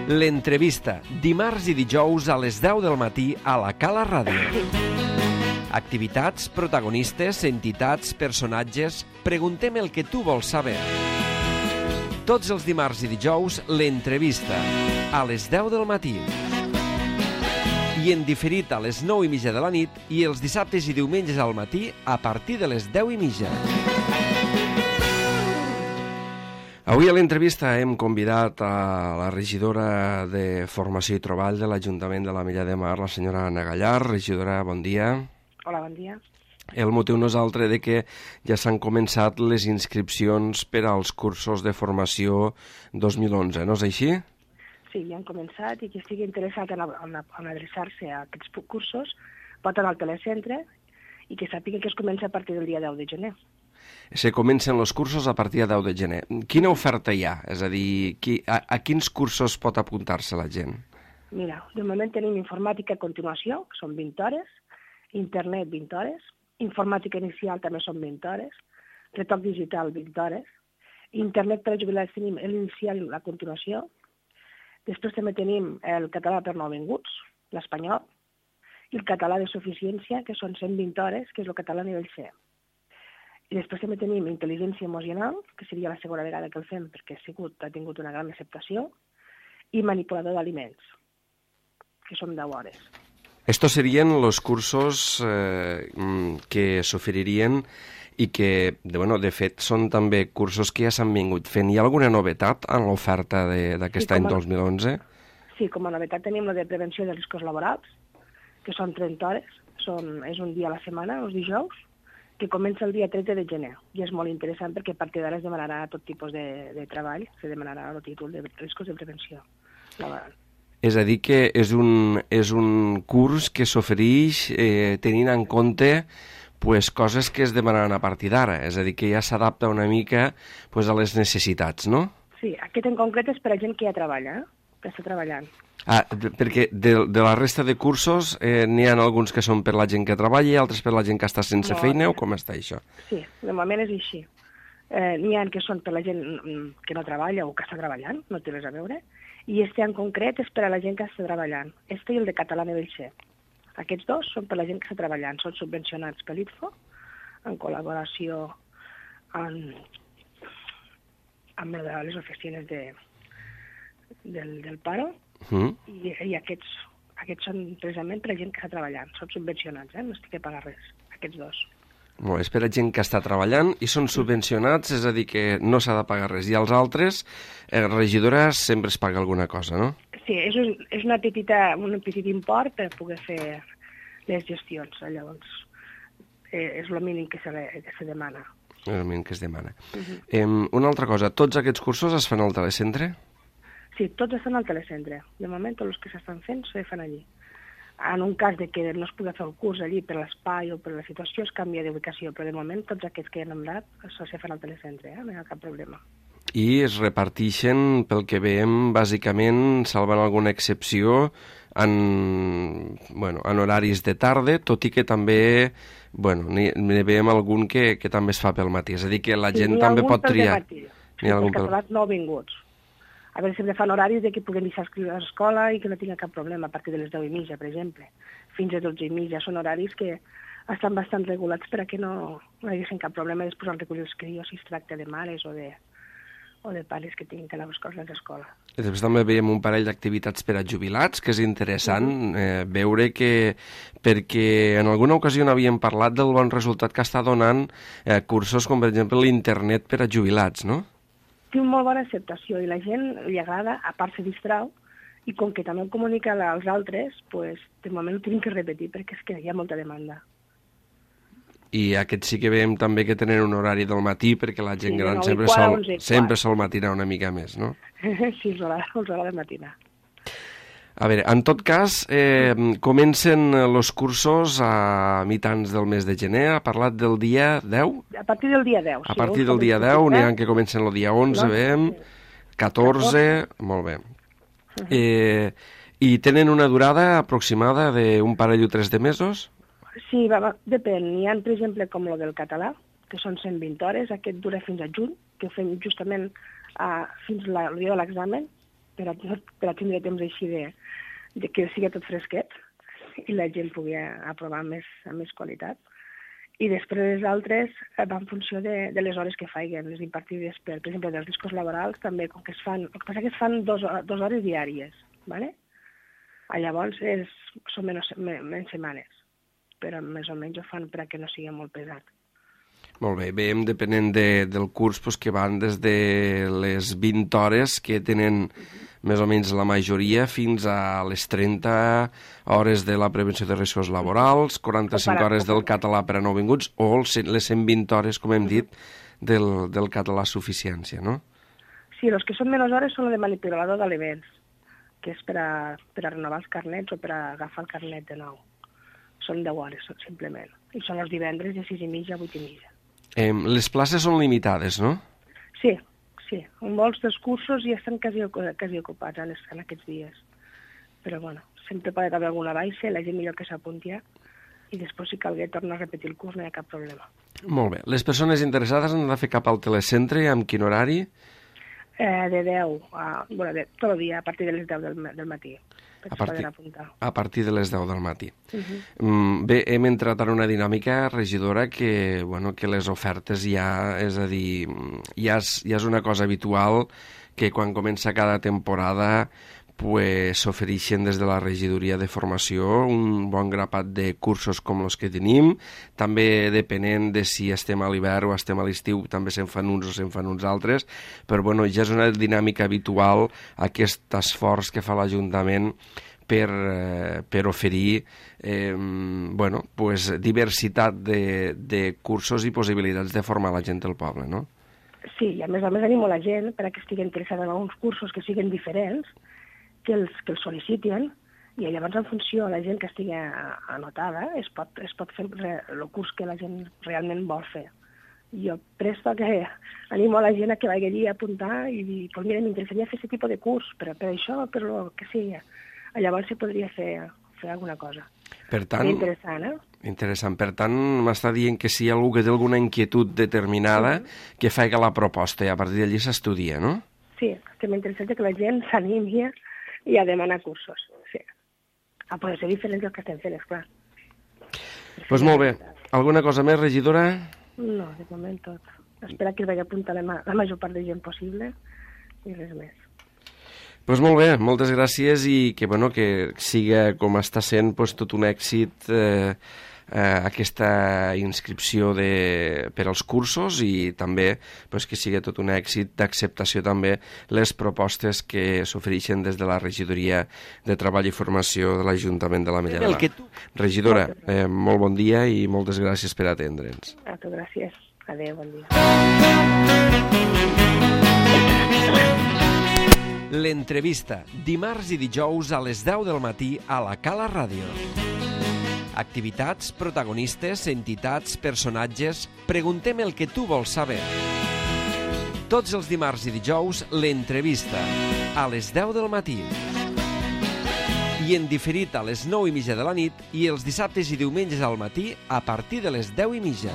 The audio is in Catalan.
L'entrevista, dimarts i dijous a les 10 del matí a la Cala Ràdio. Activitats, protagonistes, entitats, personatges... Preguntem el que tu vols saber. Tots els dimarts i dijous, l'entrevista, a les 10 del matí. I en diferit a les 9:30 de la nit i els dissabtes i diumenges al matí a partir de les 10:30. Avui a l'entrevista hem convidat a la regidora de Formació i Treball de l'Ajuntament de l'Ametlla de Mar, la senyora Anna Gallar. Regidora, bon dia. Hola, bon dia. El motiu no és altre de que ja s'han començat les inscripcions per als cursos de formació 2011, no és així? Sí, ja han començat i qui estigui interessat en adreçar-se a aquests cursos pot anar al telecentre i que sàpiga que es comença a partir del dia 10 de gener. Se comencen els cursos a partir de 10 de gener. Quina oferta hi ha? És a dir, a quins cursos pot apuntar-se la gent? Mira, de moment tenim informàtica a continuació, que són 20 hores, internet 20 hores, informàtica inicial també són 20 hores, retoc digital 20 hores, internet per a jubilats tenim l'inicial i la continuació, després també tenim el català per nouvinguts, l'espanyol, i el català de suficiència, que són 120 hores, que és el català a nivell C. I després també tenim intel·ligència emocional, que seria la segona vegada que el fem perquè ha tingut una gran acceptació, i manipulador d'aliments, que són 10 hores. Estos serien los cursos que s'oferirien i que, de fet, són també cursos que ja s'han vingut fent. Hi ha alguna novetat en l'oferta d'aquest any 2011? Sí, com a novetat tenim la de prevenció de riscos laborals, que són 30 hores, és un dia a la setmana, els dijous, que comença el dia 13 de gener. I és molt interessant perquè a partir d'ara es demanarà tot tipus de treball, se demanarà el títol de riscos de prevenció laboral. És a dir, que és un curs que s'ofereix tenint en compte coses que es demanaran a partir d'ara, és a dir, que ja s'adapta una mica a les necessitats, no? Sí, aquest en concret és per a gent que ja treballa, que està treballant. Perquè de la resta de cursos n'hi ha alguns que són per la gent que treballa i altres per la gent que està sense feina, o com està això? Sí, de moment és així. N'hi ha que són per la gent que no treballa o que està treballant, no té res a veure, i este en concret és per a la gent que està treballant. Este i el de català a nivell C. Aquests dos són per a la gent que està treballant, són subvencionats per l'ITFO, en col·laboració amb les oficines del Paro, i aquests són precisament per a gent que està treballant, són subvencionats, no estic a pagar res, aquests dos. Molt, és per a gent que està treballant i són subvencionats, és a dir, que no s'ha de pagar res. I els altres, regidores, sempre es paga alguna cosa, no? Sí, és un petit import per poder fer les gestions, llavors és el mínim que se demana. És el mínim que es demana. Una altra cosa, tots aquests cursos es fan al telecentre? Sí, tots estan al telecentre. De moment, tots els que s'estan fent se fan allí. En un cas de que no es pugui fer el curs allí per l'espai o per la situació, es canvia d'ubicació, però de moment tots aquests que hem anomenat se fan al telecentre, no hi ha cap problema. I es repartixen, pel que veiem, bàsicament, salvant alguna excepció, en horaris de tarda, tot i que també n'hi veiem algun que també es fa pel matí, és a dir, que la gent també pot triar. N'hi ha algun pel matí, els catalans nouvinguts. A veure, sempre fan horaris que puguin deixar escriure a l'escola i que no tinga cap problema a partir de les 10:30, per exemple. Fins a 12:30 són horaris que estan bastant regulats per a que no haguessin cap problema després al recollir els crios si es tracta de mares o de pares que tinguin que anar a buscar-los a l'escola. I després també veiem un parell d'activitats per a jubilats, que és interessant veure que, perquè en alguna ocasió n'havíem parlat del bon resultat que està donant cursos com, per exemple, l'internet per a jubilats, no? Té una molt bona acceptació i la gent li agrada, a part se distrau, i com que també ho comunica als altres, de moment ho tenim que repetir perquè és que hi ha molta demanda. I aquests sí que veiem també que tenen un horari del matí perquè la gent gran sempre sol matinar una mica més, no? Sí, els hores de matinar. A veure, en tot cas, comencen els cursos a mitjans del mes de gener, ha parlat del dia 10? A partir del dia 10, sí. A partir del dia 10, n'hi ha que comencen el dia 11, veiem, 14, molt bé. I tenen una durada aproximada d'un parell o 3 de mesos? Sí, depèn. N'hi ha, per exemple, com el del català, que són 120 hores, aquest dura fins a juny, que ho fem justament fins al dia de l'examen, per a tindre temps així de que sigui tot fresquet i la gent pugui aprovar amb més qualitat. I després les altres van en funció de les hores que faiguen, les impartides per exemple, dels discos laborals també, com que es fan, el que passa que es fan 2 hores diàries, ¿vale? Llavors són menys setmanes, però més o menys ho fan perquè no sigui molt pesat. Molt bé, veiem depenent del curs que van des de les 20 hores que tenen més o menys la majoria fins a les 30 hores de la prevenció de riscos laborals, 45 hores del català per a nouvinguts o les 120 hores, com hem dit, del català suficiència, no? Sí, els que són menys hores són el de manipulador d'aliments, que és per a renovar els carnets o per a agafar el carnet de nou. Són 10 hores, simplement. I són els divendres de 6:30 a 8:30. Les places són limitades, no? Sí. Molts dels cursos ja estan quasi ocupats en aquests dies. Però, bueno, sempre pot haver alguna baixa, la gent millor que s'apunti i després, si calgui, tornar a repetir el curs, no hi ha cap problema. Molt bé. Les persones interessades han de fer cap al telecentre, amb quin horari? De 10 tot el dia, a partir de les 10 del matí. A partir de les 10 del matí. Bé, hem entrat en una dinàmica, regidora, que les ofertes ja, és a dir, ja és una cosa habitual que quan comença cada temporada s'ofereixen des de la regidoria de formació un bon grapat de cursos com els que tenim. També depenent de si estem a l'hivern o estem a l'estiu, també se'n fan uns o se'n fan uns altres, però ja és una dinàmica habitual aquest esforç que fa l'Ajuntament per oferir diversitat de cursos i possibilitats de formar la gent del poble, no? Sí, i a més animo la gent perquè estigui interessada en uns cursos que siguin diferents, que els sol·licitin, i llavors en funció de la gent que estigui anotada es pot fer el curs que la gent realment vol fer. Jo presto que animo a la gent a que vagi allí a apuntar i dir, pues mira, m'interessaria fer aquest tipus de curs, però per això, per el que sigui. Llavors se podria fer alguna cosa. Per tant, interessant. Per tant, m'està dient que si hi ha algú que té alguna inquietud determinada, que faci la proposta i a partir d'allí s'estudia, no? Sí, estem interessats que la gent s'animi i a demanar cursos, sí. A poder ser diferents dels que estem fent, esclar. Doncs molt bé. Alguna cosa més, regidora? No, de moment tot. Espera que es vagi apuntar la major part de gent possible i res més. Doncs molt bé, moltes gràcies i que siga com està sent tot un èxit aquesta inscripció per als cursos i també que sigui tot un èxit d'acceptació també les propostes que s'ofereixen des de la regidoria de Treball i Formació de l'Ajuntament de l'Ametlla de Mar. Regidora, molt bon dia i moltes gràcies per atendre'ns. A tu, gràcies. Adéu, bon dia. L'entrevista, dimarts i dijous a les 10 del matí a la Cala Ràdio. Activitats, protagonistes, entitats, personatges... Preguntem el que tu vols saber. Tots els dimarts i dijous, l'entrevista, a les 10 del matí. I en diferit a les 9:30 de la nit i els dissabtes i diumenges al matí a partir de les 10:30.